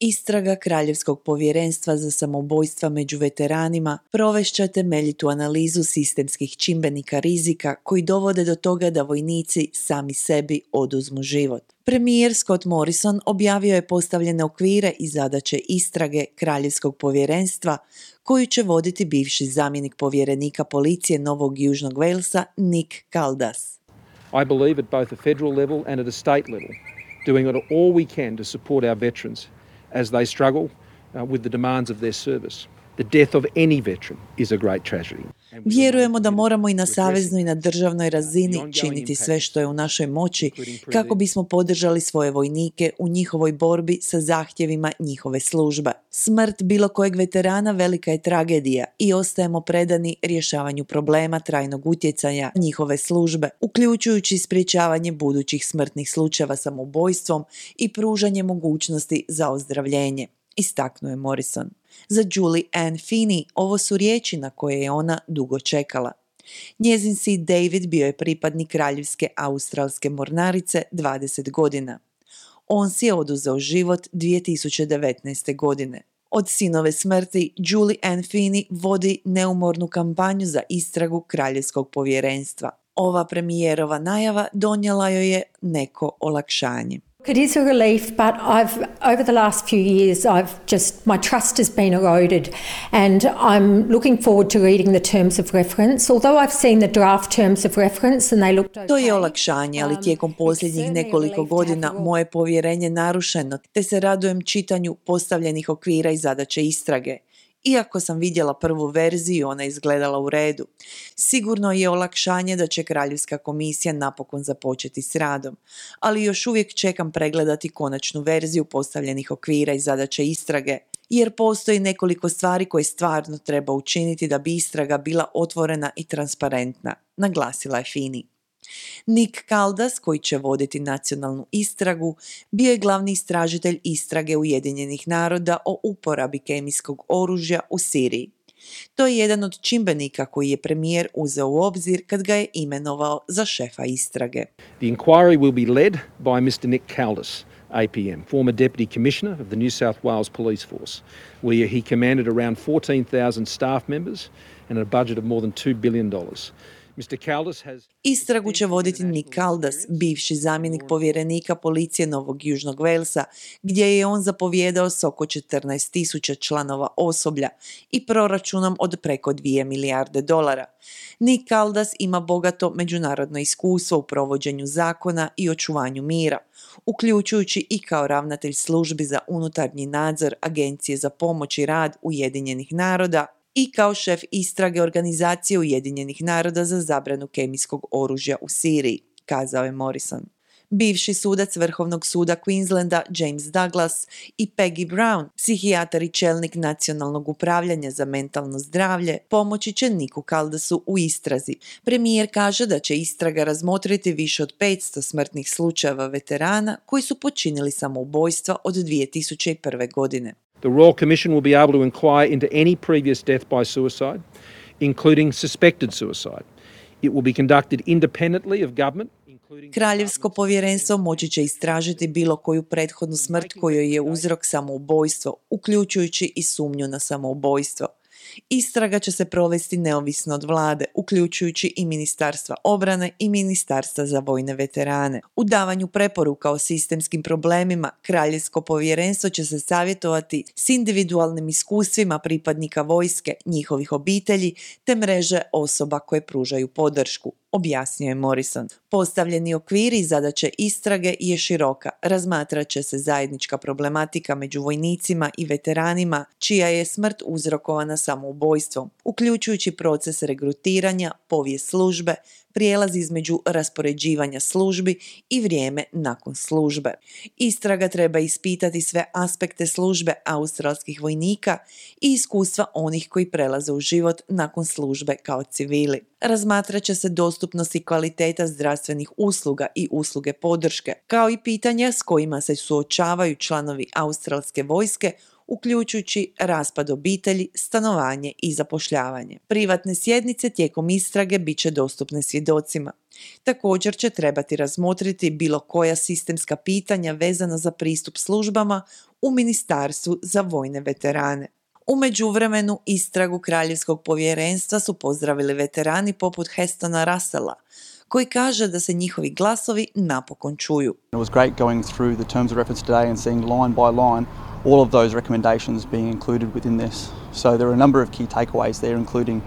Istraga Kraljevskog povjerenstva za samoubojstva među veteranima provešće temeljitu analizu sistemskih čimbenika rizika koji dovode do toga da vojnici sami sebi oduzmu život. Premijer Scott Morrison objavio je postavljene okvire i zadaće istrage Kraljevskog povjerenstva koju će voditi bivši zamjenik povjerenika policije Novog Južnog Walesa Nick Caldas. I believe at both a federal level and at a state level, doing all we can to support our veterans as they struggle with the demands of their service. The death of any veteran is a great tragedy. Vjerujemo da moramo i na saveznoj i na državnoj razini činiti sve što je u našoj moći kako bismo podržali svoje vojnike u njihovoj borbi sa zahtjevima njihove službe. Smrt bilo kojeg veterana velika je tragedija i ostajemo predani rješavanju problema trajnog utjecaja njihove službe, uključujući sprječavanje budućih smrtnih slučajeva samoubojstvom i pružanje mogućnosti za ozdravljenje, istaknuo je Morrison. Za Julie Ann Feeney ovo su riječi na koje je ona dugo čekala. Njezin sin David bio je pripadnik Kraljevske australske mornarice 20 godina. On si je oduzeo život 2019. godine. Od sinove smrti Julie Ann Feeney vodi neumornu kampanju za istragu Kraljevskog povjerenstva. Ova premijerova najava donijela joj je neko olakšanje. It is a relief, but over the last few years, my trust has been eroded, and I'm looking forward to reading the terms of reference. Although I've seen the draft terms of reference and they looked okay. To je olakšanje, ali tijekom posljednjih nekoliko godina moje povjerenje narušeno, te se radujem čitanju postavljenih okvira i zadaće istrage. Iako sam vidjela prvu verziju, ona je izgledala u redu. Sigurno je olakšanje da će Kraljevska komisija napokon započeti s radom, ali još uvijek čekam pregledati konačnu verziju postavljenih okvira i zadaće istrage, jer postoji nekoliko stvari koje stvarno treba učiniti da bi istraga bila otvorena i transparentna, naglasila je Feeney. Nick Caldas, koji će voditi nacionalnu istragu, bio je glavni istražitelj istrage Ujedinjenih naroda o uporabi kemijskog oružja u Siriji. To je jedan od čimbenika koji je premijer uzeo u obzir kad ga je imenovao za šefa istrage. The inquiry will be led by Mr. Nick Caldas, APM, former Deputy Commissioner of the New South Wales Police Force, where he commanded around 14,000 staff members and a budget of more than $2 billion. Istragu će voditi Nick Caldas, bivši zamjenik povjerenika policije Novog Južnog Walesa, gdje je on zapovjedao s oko 14,000 članova osoblja i proračunom od preko $2 milijarde. Nick Caldas ima bogato međunarodno iskustvo u provođenju zakona i očuvanju mira, uključujući i kao ravnatelj službi za unutarnji nadzor Agencije za pomoć i rad Ujedinjenih naroda i kao šef istrage Organizacije Ujedinjenih naroda za zabranu kemijskog oružja u Siriji, kazao je Morrison. Bivši sudac Vrhovnog suda Queenslanda James Douglas i Peggy Brown, psihijatar i čelnik nacionalnog upravljanja za mentalno zdravlje, pomoći će Nicku Caldasu u istrazi. Premijer kaže da će istraga razmotriti više od 500 smrtnih slučajeva veterana koji su počinili samoubojstva od 2001. godine. The Royal Commission will be able to inquire into any previous death by suicide, including suspected suicide. It will be conducted independently of government. Kraljevsko povjerenstvo moći će istražiti bilo koju prethodnu smrt kojoj je uzrok samoubojstvo, uključujući i sumnju na samoubojstvo. Istraga će se provesti neovisno od vlade, uključujući i Ministarstva obrane i Ministarstva za vojne veterane. U davanju preporuka o sistemskim problemima, Kraljevsko povjerenstvo će se savjetovati s individualnim iskustvima pripadnika vojske, njihovih obitelji te mreže osoba koje pružaju podršku, objasnio je Morrison. Postavljeni okviri i zadaće istrage je široka. Razmatrat će se zajednička problematika među vojnicima i veteranima čija je smrt uzrokovana samoubojstvom, uključujući proces regrutiranja, povijest službe, prijelaz između raspoređivanja službi i vrijeme nakon službe. Istraga treba ispitati sve aspekte službe australskih vojnika i iskustva onih koji prelaze u život nakon službe kao civili. Razmatrat će se dostupnost i kvaliteta zdravstvenih usluga i usluge podrške, kao i pitanja s kojima se suočavaju članovi australske vojske uključujući raspad obitelji, stanovanje i zapošljavanje. Privatne sjednice tijekom istrage bit će dostupne svjedocima. Također će trebati razmotriti bilo koja sistemska pitanja vezana za pristup službama u Ministarstvu za vojne veterane. U međuvremenu istragu Kraljevskog povjerenstva su pozdravili veterani poput Hestona Russella, koji kaže da se njihovi glasovi napokon čuju. It was great going through the terms of reference today and seeing line by line all of those recommendations being included within this. So there are a number of key takeaways there, including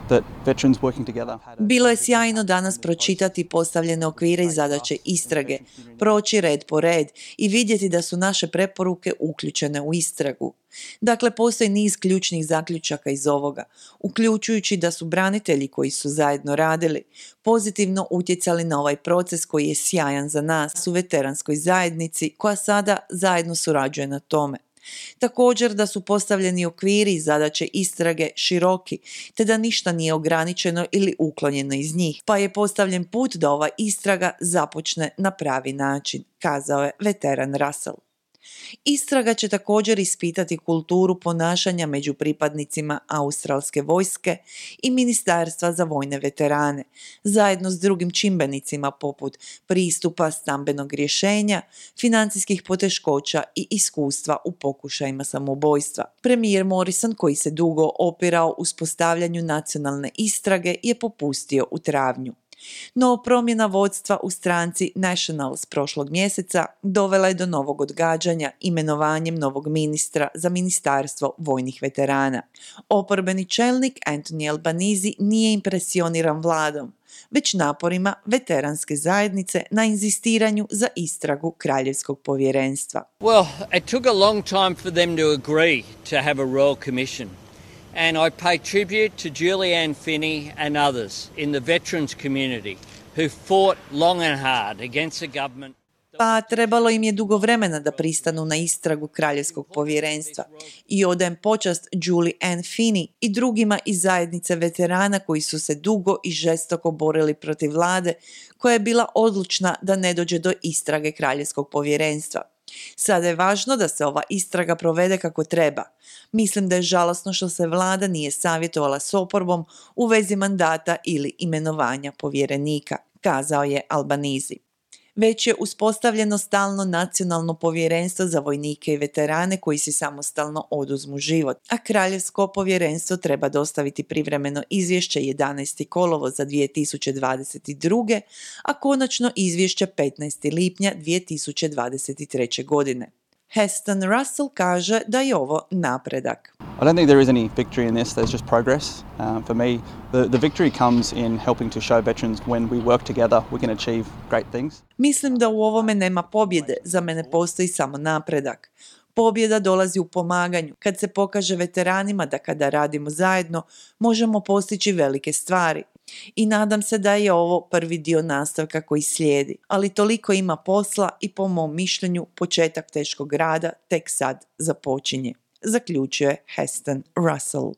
that veterans working together. Bilo je sjajno danas pročitati postavljene okvire i zadaće istrage, proći red po red i vidjeti da su naše preporuke uključene u istragu. Dakle, postoji niz ključnih zaključaka iz ovoga, uključujući da su branitelji koji su zajedno radili pozitivno utjecali na ovaj proces koji je sjajan za nas u veteranskoj zajednici koja sada zajedno surađuje na tome. Također da su postavljeni okviri i zadaće istrage široki, te da ništa nije ograničeno ili uklonjeno iz njih, pa je postavljen put da ova istraga započne na pravi način, kazao je veteran Russell. Istraga će također ispitati kulturu ponašanja među pripadnicima australske vojske i Ministarstva za vojne veterane, zajedno s drugim čimbenicima poput pristupa, stambenog rješenja, financijskih poteškoća i iskustva u pokušajima samoubojstva. Premijer Morrison, koji se dugo opirao uspostavljanju nacionalne istrage, je popustio u travnju. No promjena vodstva u stranci Nationals prošlog mjeseca dovela je do novog odgađanja imenovanjem novog ministra za Ministarstvo vojnih veterana. Oporbeni čelnik Anthony Albanese nije impresioniran vladom, već naporima veteranske zajednice na inzistiranju za istragu Kraljevskog povjerenstva. Well, it took a long time for them to agree to have a royal commission. And I pay tribute to Julianne Finney and others in the veterans community who fought long and hard against the government. Pa trebalo im je dugo vremena da pristanu na istragu Kraljevskog povjerenstva i odajem počast Julianne Finney i drugima iz zajednice veterana koji su se dugo i žestoko borili protiv vlade koja je bila odlučna da ne dođe do istrage Kraljevskog povjerenstva. Sada je važno da se ova istraga provede kako treba. Mislim da je žalosno što se vlada nije savjetovala s oporbom u vezi mandata ili imenovanja povjerenika, kazao je Albanese. Već je uspostavljeno stalno nacionalno povjerenstvo za vojnike i veterane koji si samostalno oduzmu život, a Kraljevsko povjerenstvo treba dostaviti privremeno izvješće 11. kolovoza 2022. a konačno izvješće 15. lipnja 2023. godine. Heston Russell kaže da je ovo napredak. I don't think there is any victory in this, there's just progress. For me, the victory comes in helping to show veterans when we work together we can achieve great things. Mislim da u ovome nema pobjede, za mene postoji samo napredak. Pobjeda dolazi u pomaganju, kad se pokaže veteranima da kada radimo zajedno možemo postići velike stvari. I nadam se da je ovo prvi dio nastavka koji slijedi, ali toliko ima posla i po mom mišljenju početak teškog rada tek sad započinje, zaključuje Heston Russell.